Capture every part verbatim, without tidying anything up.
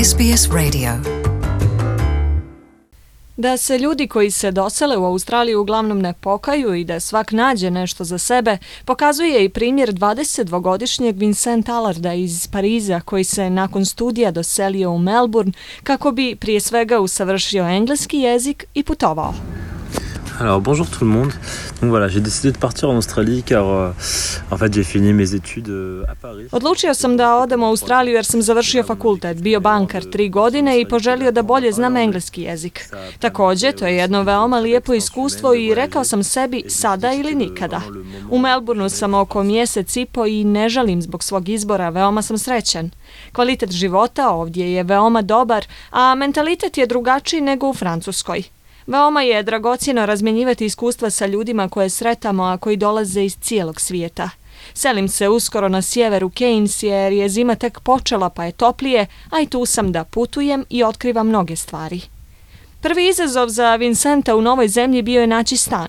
S B S Radio. Da se ljudi koji se dosele u Australiju uglavnom ne pokaju i da svak nađe nešto za sebe, pokazuje i primjer dvadesetdvogodišnjeg Vincent Allarda iz Pariza koji se nakon studija doselio u Melbourne kako bi prije svega usavršio engleski jezik i putovao. Alors bonjour tout le monde. Donc voilà, j'ai décidé de partir en Australie car euh, en fait j'ai fini mes études euh, à Paris. Odlučio sam da odem u Australiju jer sam završio fakultet, bio bankar tri godine i poželio da bolje znam engleski jezik. Također, to je jedno veoma lijepo iskustvo i rekao sam sebi sada ili nikada. U Melbourneu sam oko mjesec i po i ne žalim zbog svog izbora, veoma sam srećan. Kvalitet života ovdje je veoma dobar, a mentalitet je drugačiji nego u Francuskoj. Veoma je dragocjeno razmjenjivati iskustva sa ljudima koje sretamo, a koji dolaze iz cijelog svijeta. Selim se uskoro na sjeveru Cairns jer je zima tek počela pa je toplije, a i tu sam da putujem i otkrivam mnoge stvari. Prvi izazov za Vincenta u novoj zemlji bio je naći stan.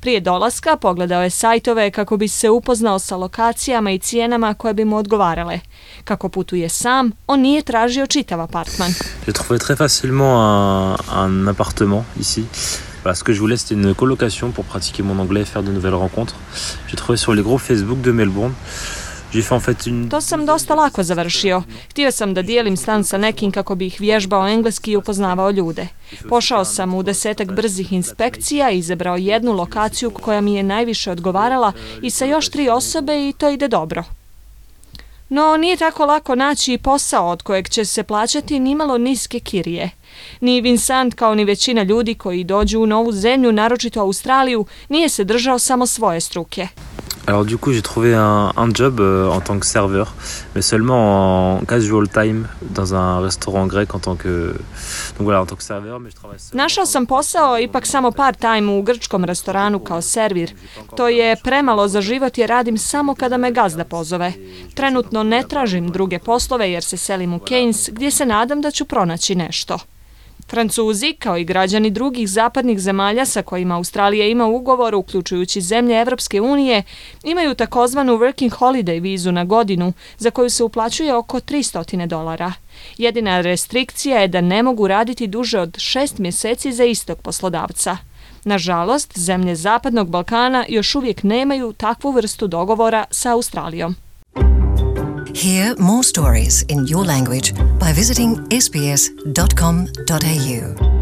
Prije dolaska pogledao je sajtove kako bi se upoznao sa lokacijama i cijenama koje bi mu odgovarale. Kako putuje sam, on nije tražio čitav apartman. J'ai trouvé très facilement un, un appartement ici. Voilà, ce que je voulais c'était une colocation pour pratiquer mon anglais et faire de nouvelles rencontres. J'ai trouvé sur les groupes Facebook de Melbourne. To sam dosta lako završio. Htio sam da dijelim stan sa nekim kako bih vježbao engleski i upoznavao ljude. Pošao sam u desetak brzih inspekcija i izabrao jednu lokaciju koja mi je najviše odgovarala i sa još tri osobe i to ide dobro. No, nije tako lako naći i posao od kojeg će se plaćati nimalo niske kirije. Ni Vincent kao ni većina ljudi koji dođu u novu zemlju, naročito Australiju, nije se držao samo svoje struke. Alors du coup j'ai trouvé un, un job euh, en tant que serveur, mais seulement en casual time dans un restaurant grec en tant que donc voilà en tant que serveur, mais je travaille. Našao sam posao ipak samo part time u grčkom restoranu kao servir. To je premalo za život jer radim samo kada me gazda pozove. Trenutno ne tražim druge poslove jer se selim u Cairns gdje se nadam da ću pronaći nešto. Francuzi, kao i građani drugih zapadnih zemalja sa kojima Australija ima ugovor, uključujući zemlje Evropske unije, imaju takozvanu working holiday vizu na godinu, za koju se uplaćuje oko tristo dolara. Jedina restrikcija je da ne mogu raditi duže od šest mjeseci za istog poslodavca. Nažalost, zemlje Zapadnog Balkana još uvijek nemaju takvu vrstu dogovora sa Australijom. Hear more stories in your language by visiting s b s dot com dot a u.